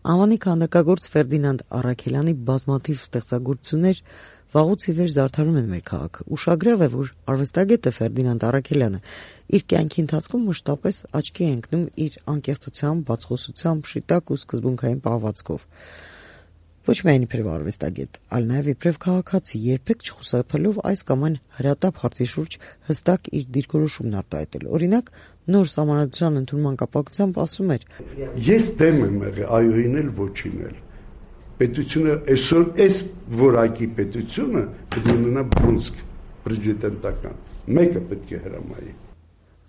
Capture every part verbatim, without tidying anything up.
Անվանի քանդակագործ Ֆերդինանդ Առաքելյանի բազմաթիվ ստեղծագործություններ վաղուց ի վեր զարդարում են մեր քաղաքը։ Ուշագրավ է, որ արվեստագետը Ֆերդինանդ Առաքելյանը իր կյանքի ընթացքում մշտապես աչքի է ընկնում իր անկեղծությամբ, բացխոսությամբ, շիտակ ու սկզբունքային պահվածքով։ Ոչ միայն իբրև արվեստագետ, այլ նաև իբրև քաղաքացի, երբեք չխուսափելով այս կամ այն հրատապ հարցի շուրջ հստակ իր դիրքորոշումն արտահայտել։ Օրինակ, նոր սահմանադրության ընդունման կապակցությամբ ասում էր. Ես դեմ եմ եղել այոյին էլ ոչին էլ։ Պետությունը այսօր այս որակի պետությունը պետք է ունենա բռունցք պրեզիդենտական։ Մեկը պետք է հրամայի։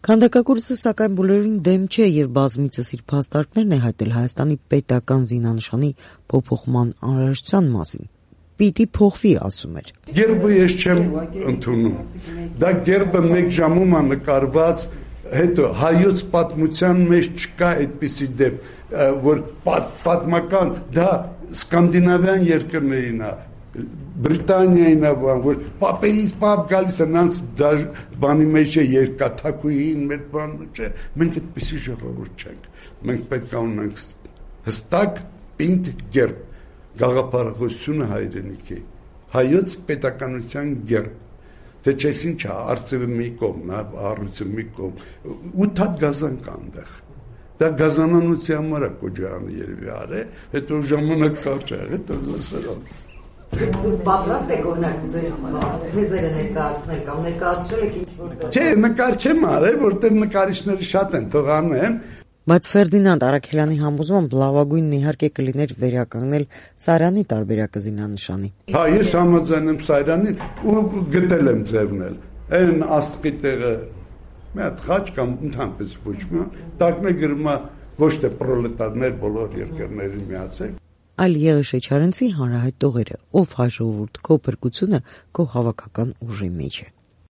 Քանդակագործը սակայն բոլորին դեմ չէ եւ բազմիցս իր փաստարկներն է հայտնել Հայաստանի պետական զինանշանի փոփոխման անհրաժեշտության մասին։ Պիտի փոխվի, ասում էր։ Գերբը ես չեմ ընդունում։ Դա գերբը մեկ ժամում է նկարված, հետո հայոց պատմության մեջ չկա այդպիսի դեպ, որ պատմական դա սկանդինավյան երկրներին է, Բրիտանիային է, որ պապերից պապ գալիս է նրանց բանի մեջ է երկաթակույին մեր բանը չէ, մենք այդպիսի ժողովուրդ չենք, մենք պետք է ունենք հստակ պինդ գերբ, գաղափարախոսությունը հայրենիքի, հայոց պետականության գերբ, թե չես ինչ է, արծևը մի կողմ, առույցը մի կողմ, ութ հատ գազան կա այնտեղ, դա գազանանոցի համար է Կոջարյանը երևի արե, հետո ժամանակ կարճ է, հետո լսրած։ Պատրաստ եք օրինակ թեզերը ներկայացնել կամ ներկայացրել եք ինչ-որ։ Չէ, նկար չեմ արել, որտեղ նկարիչները շատ են, թող անեն։ Բայց Ֆերդինանդ Առաքելյանի համոզմամբ լավագույնն իհարկե կլիներ վերականգնել Սարյանի տարբերակը զինանշանի։ Հա, ես համաձայն եմ Սարյանին ու գտել եմ ձևնել։ Այն աստղի տեղը մի հատ խաչ կամ ընդհանրապես ոչ մի, տակն է գրում ոչ թե պրոլետարներ բոլոր երկրների միացեք, այլ Եղի Շեչարենցի հանրահայտ տողերը, ով հայ ժողովուրդ, քո փրկությունը քո հավաքական ուժի մեջ է։